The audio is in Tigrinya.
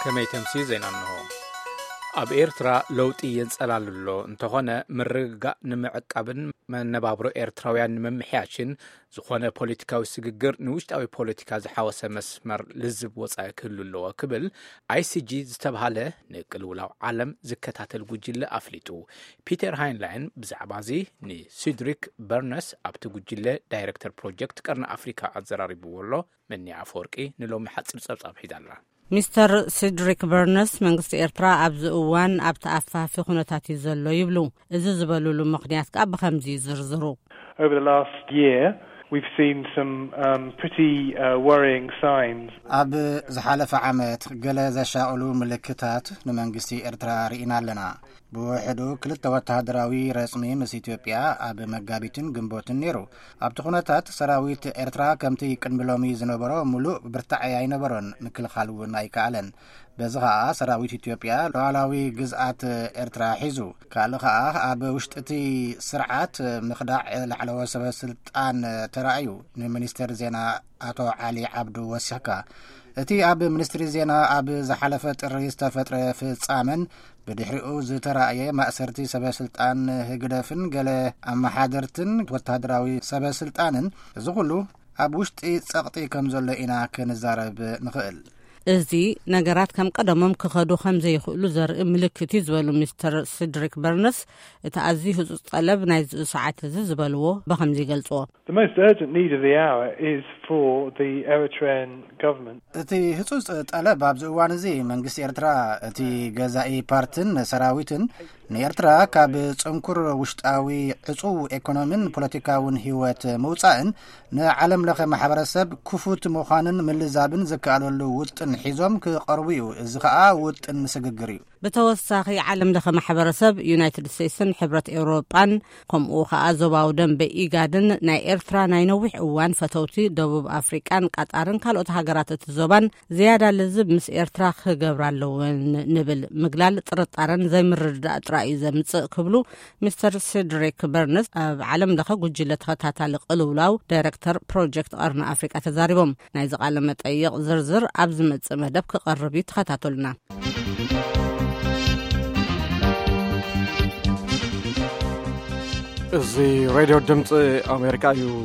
ከመይ ተምሲ ዜና እንሆ። ኣብ ኤርትራ ለውጢ የንጸላሉ ኣሎ። እንተኾነ፣ ምርግጋእ ንምዕቃብን መነባብሮ ኤርትራውያን ንምምሕያሽን ዝኾነ ፖለቲካዊ ስግግር ንውሽጣዊ ፖለቲካ ዝሓወሰ መስመር ልዝብ ወጻኢ ክህሉ ኣለዎ ክብል ኣይ ሲ ጂ ዝተብሃለ ንቅልውላው ዓለም ዝከታተል ጉጅለ ኣፍሊጡ። ፒተር ሃይንላይን ብዛዕባ እዚ ንሲድሪክ በርነስ፣ ኣብቲ ጉጅለ ዳይረክተር ፕሮጀክት ቀርኒ ኣፍሪካ፣ ኣዘራሪብዎ ኣሎ። መኒ ኣፈወርቂ ንሎሚ ሓጺር ጸብጻብ ሒዛላ። ሚስተር ሲድሪክ በርነስ፣ መንግስቲ ኤርትራ ኣብዚ እዋን ኣብቲ ኣፋፊ ኩነታት እዩ ዘሎ ይብሉ። እዚ ዝበሉሉ ምኽንያት ከኣ ብኸምዚ ይዝርዝሩ። Over the last year, we've seen some, um, pretty, uh, worrying signs. ኣብ ዝሓለፈ ዓመት ገለ ዘሻቕሉ ምልክታት ንመንግስቲ ኤርትራ ርኢና ኣለና። ብውሕዱ ክልተ ወተሃደራዊ ረጽሚ ምስ ኢትዮጵያ ኣብ መጋቢትን ግንቦትን ነይሩ። ኣብቲ ኩነታት፣ ሰራዊት ኤርትራ ከምቲ ቅድሚ ሎሚ ዝነበሮ ምሉእ ብርታዐ ኣይነበሮን፣ ምክልኻል እውን ኣይከኣለን። በዚ ኸኣ ሰራዊት ኢትዮጵያ ሉዓላዊ ግዝኣት ኤርትራ ሒዙ። ካልእ ኸኣ ኣብ ውሽጢ እቲ ስርዓት ምኽዳዕ ላዕለዎት ሰበ ስልጣን ተራእዩ። ንሚኒስተር ዜና ኣቶ ዓሊ ዓብዱ ወሲኽካ። እቲ ኣብ ሚኒስትሪ ዜና ኣብ ዝሓለፈ ጥሪ ዝተፈጥረ ፍጻመን ብድሕሪኡ ዝተራእየ ማእሰርቲ ሰበ ስልጣን ህግደፍን ገለ ኣመሓደርትን ወተሃደራዊ ሰበ ስልጣንን፣ እዚ ኩሉ ኣብ ውሽጢ ጸቕጢ ከም ዘሎ ኢና ክንዛረብ ንኽእል። እዚ ነገራት ከም ቀደሞም ክኸዱ ከም ዘይኽእሉ ዘርኢ ምልክት እዩ ዝበሉ ሚስተር ሲድሪክ በርነስ፣ እቲ ኣዝዩ ህጹጽ ጠለብ ናይዚ ሰዓት እዚ ዝበልዎ ብኸምዚ ይገልጽዎ። The most urgent need of the hour is for the Eritrean government. እቲ ህጹጽ ጠለብ ኣብዚ እዋን እዚ መንግስቲ ኤርትራ፣ እቲ ገዛኢ ፓርትን ሰራዊትን ንኤርትራ ካብ ጽንኩር ውሽጣዊ ዕጹው ኤኮኖሚን ፖለቲካውን ህይወት ምውጻእን ንዓለም ለኸ ማሕበረሰብ ክፉት ምዃንን ምልዛብን ዝከኣለሉ ውጥን ሒዞም ክቐርቡ እዩ። እዚ ኸኣ ውጥን ስግግር እዩ። ብተወሳኺ፣ ዓለም ለኸ ማሕበረሰብ፣ ዩናይትድ ስቴትስን ሕብረት ኤውሮጳን፣ ከምኡ ኸኣ ዞባዊ ደንበ ኢጋድን ናይ ኤርትራ ናይ ነዊሕ እዋን ፈተውቲ ደቡብ ኣፍሪቃን ቃጣርን ካልኦት ሃገራት እቲ ዞባን ዝያዳ ልዝብ ምስ ኤርትራ ክገብራ ኣለወን ንብል ምግላል ጥርጣረን ዘይምርድዳእ ጥራይ እዩ ዘምጽእ ክብሉ ሚስተር ሲድሪክ በርንስ፣ ኣብ ዓለም ለኸ ጉጅለ ተኸታታሊ ቅልውላው ዳይረክተር ፕሮጀክት ቀርኒ ኣፍሪቃ፣ ተዛሪቦም። ናይዚ ቃለ መጠይቕ ዝርዝር ኣብ ዝመጽእ መደብ ክቐርብ እዩ፣ ተኸታተሉና። እዚ ሬድዮ ድምፂ ኣሜሪካ እዩ።